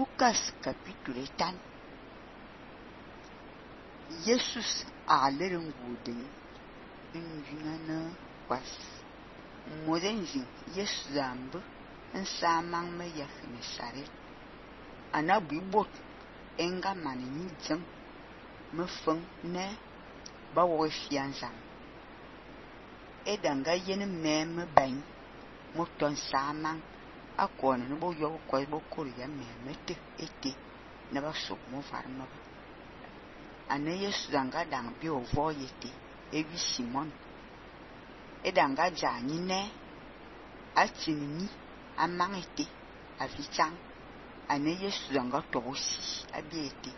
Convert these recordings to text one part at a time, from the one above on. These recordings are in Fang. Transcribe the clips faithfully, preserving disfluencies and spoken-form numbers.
Lucas capítulo tan. Jesus a lerin gudin in yunana was. Modenjin Jesus zambu in samang me yakhine sare. Anabu bot enga mani jeng me feng ne ba wo fianzam. Edanga yen me me ban mo ton samang akon no bo yo ko bo koria me mete ete na ba so mo farma. Ane Yesu danga dang bi ovo yete ewi Simon. Edanga jani ne atini amangete afichang. Ane Yesu danga tosi abiete.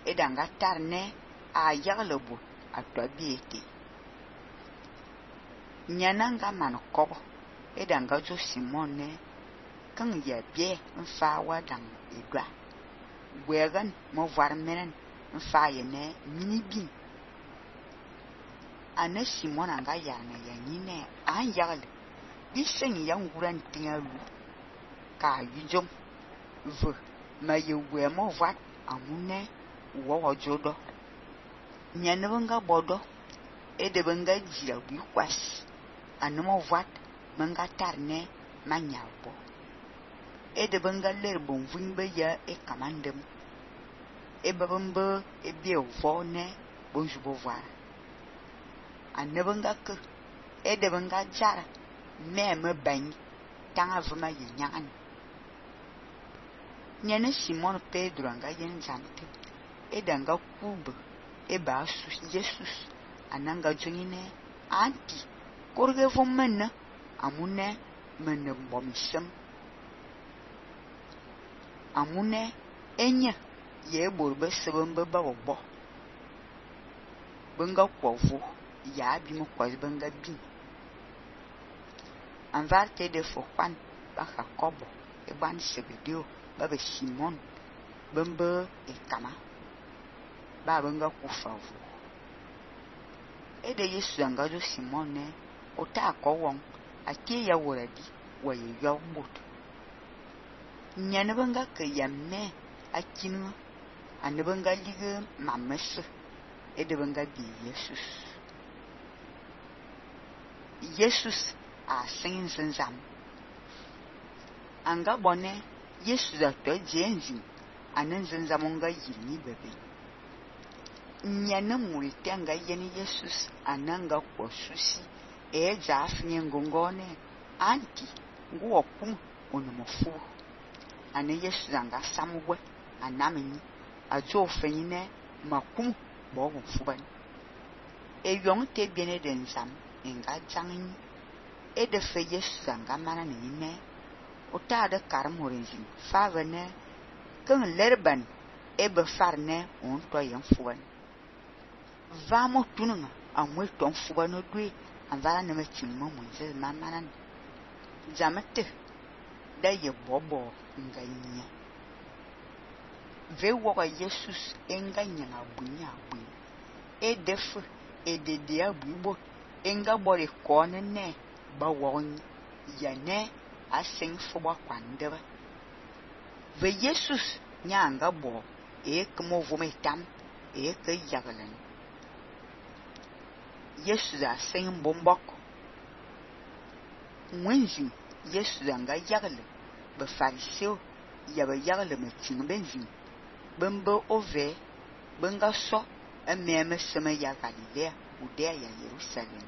Edanga tarne a yaglebo atobiete. Nyananga man kobo. Edanga jo Simon ne kan ya bie mfa wa dang edwa. Wegan mo varmenen mfa ye ne mini bin. Ane Simon anga ya na ya nyine an yagle. Bisen ya nguran tingalu ka yujom ve ma ye we mo vat amune wo jodo. Nyananga bodo edebenga jia bi kwas. Ane mo vat manga tarne manyabo. Ede benga ler bon vimbe ya e kamandem. E babambe e bie vo ne bonjubo voir. Ane benga ke ede benga jara me me bany tanga vuma ye nyan. Nyane Simon Pedro anga yen jante. Ede anga kube e ba su Jesus ananga jungine anti korge vomena amune mene bomisem. Amune enya ye borbe sebembe ba obo benga kwovu ya bi mo kwaz benga bin anvarte de fokwan ba Jacobo e ban Sebedeo ba be Simon bembe e kama ba benga kufavu e de Yesu anga jo Simon ne ota akowon ati ya woradi wa ye yo bot. Nyanabanga ke yamme akinu anabanga lige mames edebanga bi Jesus. Jesus a singin zam. Anga bone Jesus a to jenzi anan zanzamonga yini bebe. Nyana mulite anga yeni Jesus ananga kwa susi e jafnye ngongone anti nguwa kum onomofu. Ane Yesu zanga samwe anamini ajo fenyine makum bo fuban e yong te biene den sam enga jangin e de fe Yesu zanga mana ne o ta de karmorinjin favene kan lerban e be farne on to yen fuban vamo tununga amwe ton fuban no dwe anvala ne metin mo munze mamana jamete da ye bobo nganya ve wo Jesus enganya abunya abu e def e de de abubo enga bore kone ne ba won ya ne asen fo ba kwandeba ve Jesus nyanga bo e kmo vometam e ke yagalen Jesus asen bombok mwenji Jesus anga yagle be fariseo ya be yagle metin benjin bembe ove benga so ememe sema ya Galilea Judea ya Jerusalem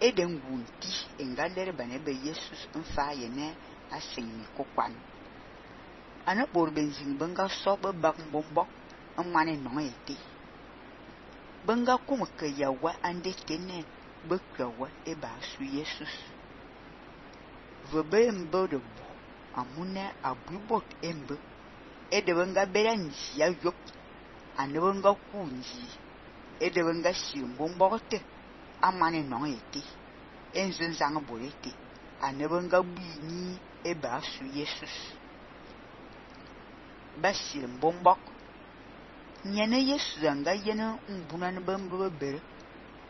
eden gunti engalere bane be Jesus mfa ye ne asenni kokwan ana bor benjin benga so be bak bombok amane no ete benga kuma ke yawa ande tene be kwawa e ba su Jesus vebe mbodo amune abubot embe edebenga beranji ya yop anebenga kunji edebenga simbombote amane no ete enzin zang borete anebenga bini e ba su Jesus basil bombok nyene Yesu zanga yena mbunan bambo bere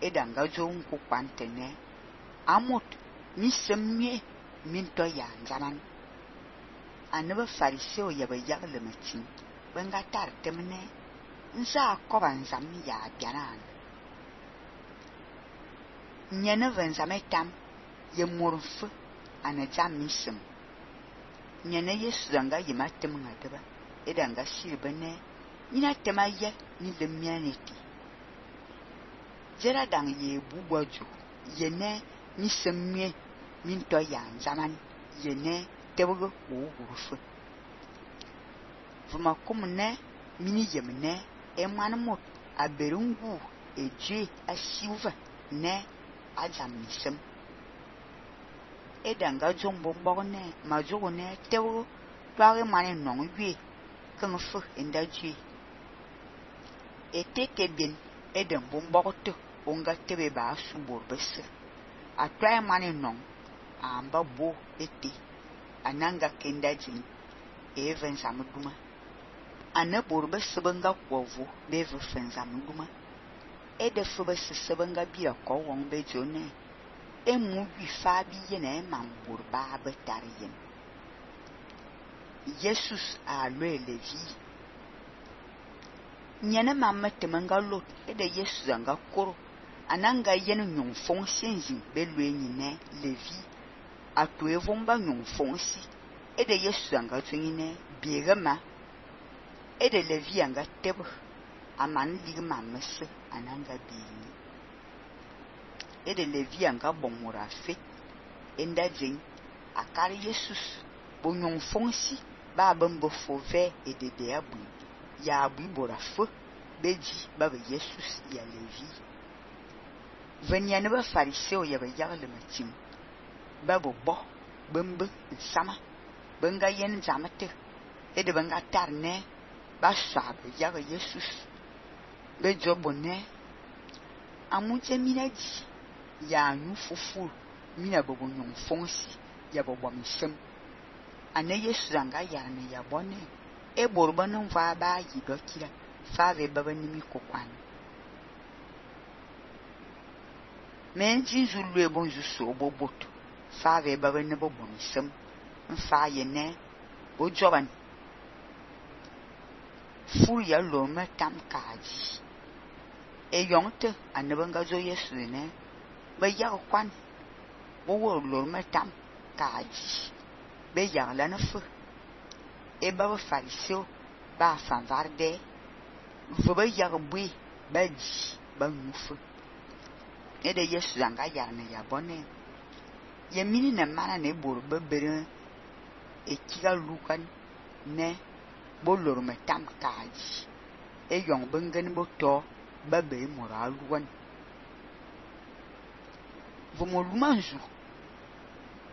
edanga jo nku kwantene amot mi semmie minto ya nzanan ane ba fariseo ya ba yagle matin benga tar temne nza ko ban zam ya bianan nyene van zametam ye morfu ane jam misem nyene Yesu danga yima tem ngadeba edanga sirbene ina tema ye ni le mianeti jera dang ye bugwaju yene ni semme min to ya zaman yene tebgo o gurufu vuma kumne mini yemne e manmot aberungu eje asiuva ne ajam misem edanga jombo mbone majogo ne tebgo tware mane non yue kan fu endaji eteke bin eden bomboto onga tebe ba subor bese atwaye mane non amba bo ete ananga kendajin even samuduma anabor bese banga kwovu beve fenzamuduma ede fu bese sebanga bia ko won bejone emu wi fabi yene mambur ba betariyen Jesus a le levi nyene mamma temanga lot ede Jesus anga koro ananga yene nyon fonsenzi belwe nyine levi atwe vomba nyon fonsi ede Jesus anga twingine biegama ede levi anga tebo aman ligma messe ananga bi ede levi anga bomora fe enda jing akari Jesus bo nyon fonsi ba bambo fove ede de abu ya abu bora fo beji baba Jesus ya levi venya ne ba fariseo ya ba yagle matim babo bo bambe sama banga yen zamate ede banga tarne ba sabe ya Jesus be jobone amuje minaji ya nu fufu mina bobo nyon fonsi ya bobo misem ane Yesu anga ya ne ya bone e borba non va ba yi dokira fave baba nimi kokwan men jinzu lue bonju so boboto fave baba ne bobo misem mfa ye ne o joban fu ya lo me tam kaji e yonte ane banga zo Yesu ne ba ya kwan wo wo lo me tam kaji be ya la na fu e ba fariseo ba fanvarde vo ba ya bui ba ji ba nufu e de Yesu anga ya ne ya bone ye mini na mana ne bor ba bere e kiga lukan ne bo lor me tam kaji e yong bengen bo to ba be moral wan vo mo lumanju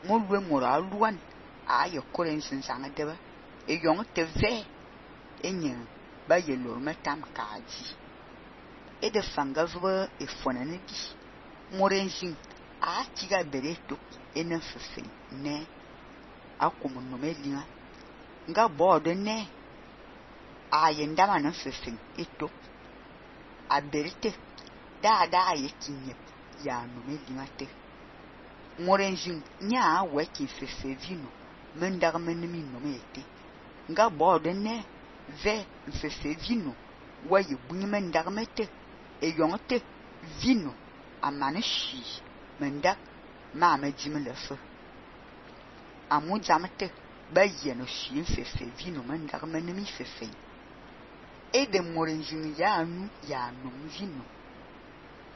mo lwe moral wan a ye koren sin sanga deba e yong te ve enye ba ye lor me tam kaji e de fanga vo e fona ne di morenjin a tiga bere to ene fefe ne akomo no melia nga bodo ne a ye ndama na fefe eto a berite da da ye kinye ya no melia te morenjin nya weki fefe vino mendar menemi no mete nga bodo ne ve fefe vino wa ye bunyi mendar mete e yonte vino amane shi mendak ma ma jimle fe amu jamte ba ye no shi fefe vino mendar menemi fefe e de morenjin ya anu ya no vino